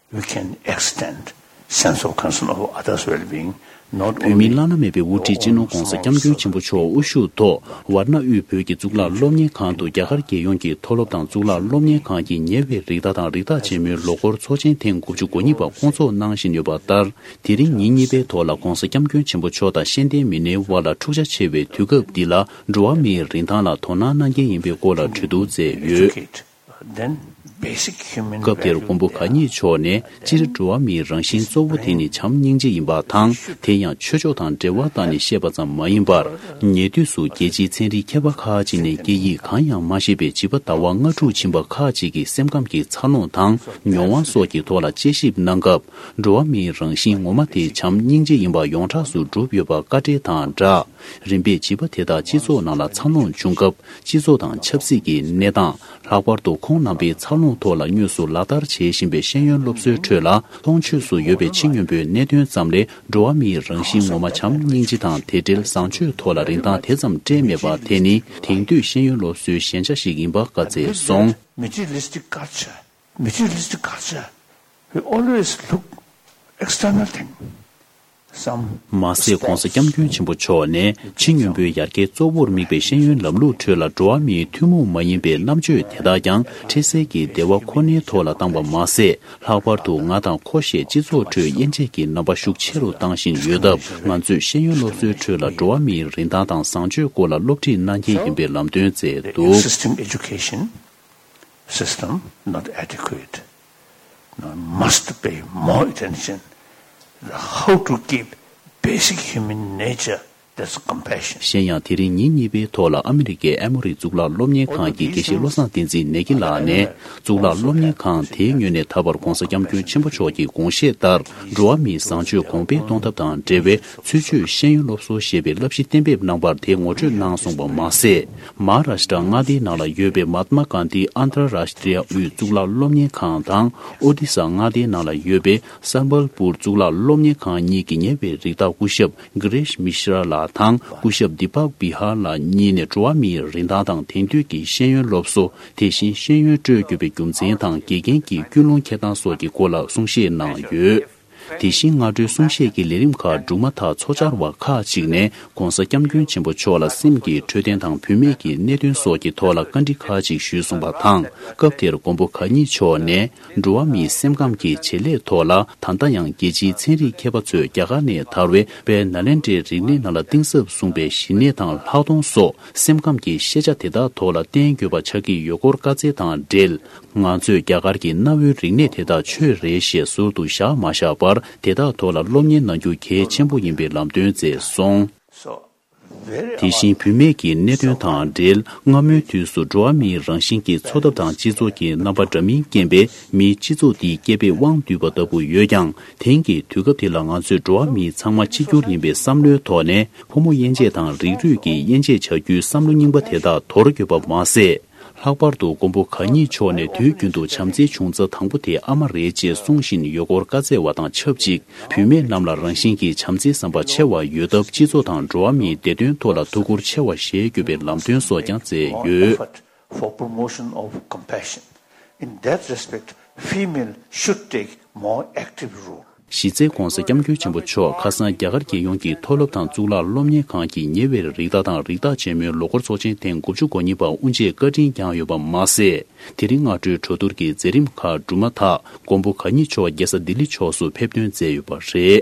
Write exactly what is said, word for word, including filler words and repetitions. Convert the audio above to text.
We can extend sense of concern of others' well-being, not only བོད་མིའི་བླ་ན་མེད་པའི་དབུ་ཁྲིད་སྤྱི་ནོར་༧གོང་ས་༧སྐྱབས་མགོན་ཆེན་པོ་མཆོག་དབུ་བཞུགས་ཐོག་ཝཱ་ཎ་དབུས་བོད་ཀྱི་གཙུག་ལག་སློབ་གཉེར་ཁང་དུ་རྒྱ་གར་རྒྱལ་ཡོངས་ཀྱི་མཐོ་སློབ་དང་གཙུག་ལག་སློབ་གཉེར་ཁང་གི་ཉེ་བའི་རིགས་བདག་དང་རིགས་བདག་ཆེན་མོའི་ལོ་འཁོར་ཚོགས་ཆེན་ཐེངས་དགུ་བཅུ་གོ་གཉིས་པ་བསྐོང་ཚོགས་གནང་བཞིན་ཡོད་པ་ལྟར། དེ་རིང་ཉིན་གཉིས་པའི་ཐོག་ལ་༧གོང་ས་༧སྐྱབས་མགོན་ཆེན་པོ་མཆོག་དང་ཤེས་ལྡན་མི་སྣའི་དབར་ལ་འཁྲུག་ཆ་ཆེ་བའི་དུས་སྐབས་འདི་ལ་འགྲོ་བ་མིའི་རིན་ཐང་ལ་དོ་སྣང་གནང་གལ་ཡིན་པའི་སྐོར་ལ་གྲོས་བསྡུར་མཛད་ཡོད། Educate, then basic human སྐབས་དེར་value མགོན་པོ་གང་ཉིད་མཆོག་ནས་སྤྱིར་འགྲོ་བ་མིའི་རང་བཞིན་གཙོ་བོ་དེ་ནི་བྱམས་སྙིང་རྗེ་ཡིན་པ་དང་། དེ་ཡང་ཆོས་ཕྱོགས་དང་འབྲེལ་བ་བཏང་ནས་བཤད་པ་ཙམ་མ་ཡིན་པར། ཉེ་དུས་སུ་རྒྱལ་སྤྱིའི་ཚན་རིག་མཁས་པ་ཁག་ཅིག་ནས་སྐད་ཡིག་གང་ཡང་མ་ཤེས་པའི་བྱིས་པ་ཟླ་བ་ལྔ་དྲུག་ཕྱིན་པ་ཁག་ཅིག་གི་སེམས་ཁམས་ཀྱི་འཚར་ལོངས་དང་མྱོང་བ་སོགས་ཀྱི་ཐོག་ལ་དཔྱད་ཞིབ་གནང་སྐབས། འགྲོ་བ་མིའི་རང་བཞིན་ངོ་མ་དེ་བྱམས་སྙིང་རྗེ་ཡིན་པ་ཡོངས་གྲགས་སུ་གྲུབ་ཡོད་པ་བཀའ་འགྲེལ་དང་སྦྲགས། རིམ་པས་བྱིས་པ་དེ་དག་སྤྱི་ཚོགས་ནང་ལ་འཚར་ལོངས་བྱུང་སྐབས། སྤྱི་ཚོགས་དང་ཆབ་སྲིད་ཀྱི་གནས་སྟངས། ལྷག་པར་དུ་ཁོང་རྣམ་པའི་འཚར་ལོངས་ཐོག་ལ་དངོས་སུ་ལག་བསྟར་བྱེད་བཞིན་པའི་ཤེས་ཡོན་སློབ་གསོའི་ཁྲོད་ལ། མཐོང་ཆོས་སུ་ཡོད་པའི་ཕྱི་སྙོམས་པོའི་གནད་དོན་ཙམ་ལས། འགྲོ་བ་མིའི་རང་བཞིན་ངོ་མ་བྱམས་སྙིང་རྗེ་དང་དེ་འབྲེལ་བཟང་སྤྱོད་ཐོག་ལ་རིན་ཐང་དེ་ཙམ་སྤྲད་མེད་པ་དེ་ནི། དེང་དུས་ཤེས་ཡོན་སློབ་གསོའི་ཞན་ཆ་ཞིག་ཡིན་པ་བཀའ་སྩལ་སོང་། Materialistic culture, materialistic culture, we always look external thing. Some མ་ཟད། ྋགོང་ས་ྋསྐྱབས་མགོན་ཆེན་པོ་མཆོག་ནས་ཕྱི་སྙོམས་པོའི་ཡར་རྒྱས་གཙོ་བོར་དམིགས་པའི་ཤེས་ཡོན་ལམ་ལུགས་ཁྲོད་ལ་འགྲོ་བ་མིའི་ཐུན་མོང་མ་ཡིན་པའི་རྣམ་དཔྱོད་དེ་དག་ཀྱང་འཕྲལ་སེལ་གྱི་བདེ་བ་ཁོ་ནའི་ཐོག་ལ་བཏང་བ་མ་ཟད། ལྷག་པར་དུ་ང་དང་ཁོ་ཞེས་སྤྱི་ཚོགས་ཁྲོད་དབྱེ་འབྱེད་ཀྱི་རྣམ་པ་ཤུགས་ཆེ་རུ་བཏང་བཞིན་ཡོད་སྟབས། ང་ཚོས་ཤེས་ཡོན་སློབ་གསོའི་ཁྲོད་ལ་འགྲོ་བ་མིའི་རིན་ཐང་དང་བཟང་སྤྱོད་སྐོར་ལ་སློབ་ཁྲིད་གནང་གལ་ཡིན་པའི་ལམ་སྟོན་མཛད་འདུག Existing education system not adequate. Now must pay more attention how to keep basic human nature, that's compassion. གཞན་ཡང་། དེ་རིང་ཉིན་གཉིས་པའི་ཐོག་ལ་ཨ་མི་རི་ཀའི་ཨེ་མོ་རི་གཙུག་ལག་སློབ་གཉེར་ཁང་གི་དགེ་བཤེས་བློ་བཟང་བསྟན་འཛིན་ནེ་གི་ལགས་ནས། གཙུག་ལག་སློབ་གཉེར་ཁང་དེའི་ངོས་ནས་ད་བར་ྋགོང་ས་ྋསྐྱབས་མགོན་ཆེན་པོ་མཆོག་གི་དགོངས་བཞེད་ལྟར། འགྲོ་བ་མིའི་བཟང་སྤྱོད་གོང་འཕེལ་གཏོང་ཐབས་དང་འབྲེལ་བའི་ཚུལ་འཆོས་ཤེས་ཡོན་སློབ་གསོ་ཞེས་པའི་བསླབ་གཞི་གཏན་འབེབས་གནང་བར་དེ་ངོ་སྤྲོད་གནང་སོང་བ་མ་ཟད། མ་ཧཱ་རཱ་ཤི་ཏྲ་མངའ་སྡེའི་ནང་ལ་ཡོད་པའི་མཱ་ཏྨ་གྷན་དྷི་ཨན་ཏར་རཱཤ་ཏྲི་ཡ་དབུས་གཙུག་ལག་སློབ་གཉེར་ཁང་དང་། ཨོ་ཏི་ས་མངའ་སྡེའི་ནང་ལ་ཡོད་པའི་སམ་བལ་པུར་གཙུག་ལག་སློབ་གཉེར་ཁང་གཉིས་ཀྱི་ཉེ་བའི་རིགས་བདག་སྐུ་ཞབས་གྷི་རེཤ་མི་ཤྲ་ལགས་དང་། སྐུ་ཞབས་དི་པག་བི་ཧར་ལགས་གཉིས་ནས་འགྲོ་བ་མིའི་རིན་ཐང་དང་དེང་དུས་ཀྱི་ཤེས་ཡོན་སློབ་གསོ། དེ་བཞིན་ཤེས་ཡོན་སྤྲོད་དགོས་པའི་རྒྱུ་མཚན་དང་དགེ་རྒན་གྱི་ཀུན་སློང་འཁྱེར་སྟངས་སོགས་ཀྱི་སྐོར་ལ་གསུང་བཤད་གནང་ཡོད། དེ་བཞིན་སྔ་དྲོའི་གསུང་བཤད་ཀྱི་ལས་རིམ་ཁག་གྲུབ་མ་ཐག་ཚོགས་བཅར་བ་ཁག་ཅིག་ནས་ྋགོང་ས་ྋསྐྱབས་མགོན་ཆེན་པོ་མཆོག་ལ་སེམས་ཀྱི་འཕྲོད་བསྟེན་དང་བུད་མེད་ཀྱི་གནད་དོན་སོགས་ཀྱི་ཐོག་ལ་བཀའ་འདྲི་ཁག་ཅིག་ཞུས་སོང་བ་དང་། སྐབས་དེར་མགོན་པོ་གང་ཉིད་མཆོག་ནས། འགྲོ་བ་མིའི་སེམས་ཁམས་ཀྱི་བྱེད་ལས་ཐོག་ལ། ད་ལྟ་ཡང་རྒྱལ་སྤྱིའི་ཚན་རིག་མཁས་པ་ཚོས་རྒྱ་གར་ནས་དར་བའི་དཔལ་ནཱ་ལེནྡྲའི་རིག་གནས་ནང་ལ་གཏིང་ཟབ་གསུངས་པའི་ཞི་གནས་དང་ལྷག་མཐོང་སོགས་སེམས་ཁམས་ཀྱི་ཤེས་བྱ་དེ་དག་ཐོག་ལ་བརྟེན་དགོས་པ་ཆགས་ཀྱི་ཡོད་སྐོར་བཀའ་སྩལ་དང་འབྲེལ། ང་ཚོས་རྒྱ་གར་གྱི་གནའ་བོའི་རིག་གནས་དེ་དག་ཆོས་རེད་ཞེས་ཟུར་དུ་བཞག་མ་བཞག་པར། དེ་དག་ཐོག་ལ་སློབ་གཉེར་གནང་རྒྱུ་གལ་ཆེན་པོ་ཡིན་པའི་ལམ་སྟོན་མཛད་སོང་། དེ་བཞིན་བུད་མེད་ཀྱི་གནད་དོན་དང་འབྲེལ། སྔ་མོའི་དུས་སུ་འགྲོ་བ་མིའི་རང་བཞིན་གྱི་འཚོ་ཐབས་དང་སྤྱི་ཚོགས་ཀྱི་རྣམ་པ་འདྲ་མིན་རྐྱེན་པས། མིའི་སྤྱི་ཚོགས་འདིའི་སྐྱེ་འཕེལ་དབང་བསྡུས་པ་ལྟ་བུ་ཡོད་ཀྱང་། དེང་གི་དུས་སྐབས་འདི་ལ་ང་ཚོས་འགྲོ་བ་མིའི་ཚང་མ་གཅིག་གྱུར་ཡིན་པའི་བསམ་བློའི་ཐོག་ནས། ཕོ་མོ་དབྱེ་འབྱེད་དང་རིགས་རུས་ཀྱི་དབྱེ་འབྱེད་བྱ་རྒྱུའི་བསམ་བློ་རྙིང་པ་དེ་དག་དོར་དགོས་པ་མ་ཟད། ལྷག་པར་དུ་མགོན་པོ་གང་ཉིད་མཆོག་ནས་དུས་རྒྱུན་དུ་བྱམས་བརྩེའི་འབྱུང་རྩ་དང་པོ་དེ་ཨ་མ་རེད་ཅེས་གསུང་བཞིན་ཡོད་སྐོར་བཀའ་སྩལ་བ་དང་ཆབས་ཅིག་བུད་མེད་རྣམས་ལ་རང་བཞིན་གྱིས་བྱམས་བརྩེའི་བསམ་པ་ཆེ་བ་ཡོད་སྟབས། སྤྱི་ཚོགས་དང་འགྲོ་བ་མིའི་བདེ་དོན་ཐོག་ལ་ཐུགས་ཁུར་ཆེ་བ་བཞེས་དགོས་པའི་ལམ་སྟོན་སོགས་ཀྱང་མཛད་ཡོད། Effort for promotion of compassion. In that respect, female should take more active role. གཞི་རྩའི་ྋགོང་ས་ྋསྐྱབས་མགོན་ཆེན་པོ་མཆོག་ཁ་སང་རྒྱ་གར་རྒྱལ་ཡོངས་ཀྱི་མཐོ་སློབ་དང་གཙུག་ལག་སློབ་གཉེར་ཁང་གི་ཉེ་བའི་རིགས་བདག་དང་རིགས་བདག་ཆེན་མོའི་ལོ་འཁོར་ཚོགས་ཆེན་ཐེངས་དགུ་བཅུ་གོ་གཉིས་པ་དབུ་འབྱེད་བཀའ་དྲིན་བསྐྱངས་ཡོད་པ་མ་ཟད། དེ་རིང་སྔ་དྲོའི་གྲོས་བསྡུར་གྱི་མཛད་རིམ་ཁག་གྲུབ་མ་ཐག་མགོན་པོ་གང་ཉིད་མཆོག་རྒྱལ་ས་ལྡི་ལི་ཕྱོགས་སུ་ཕེབས་ཐོན་མཛད་ཡོད་པ་རེད།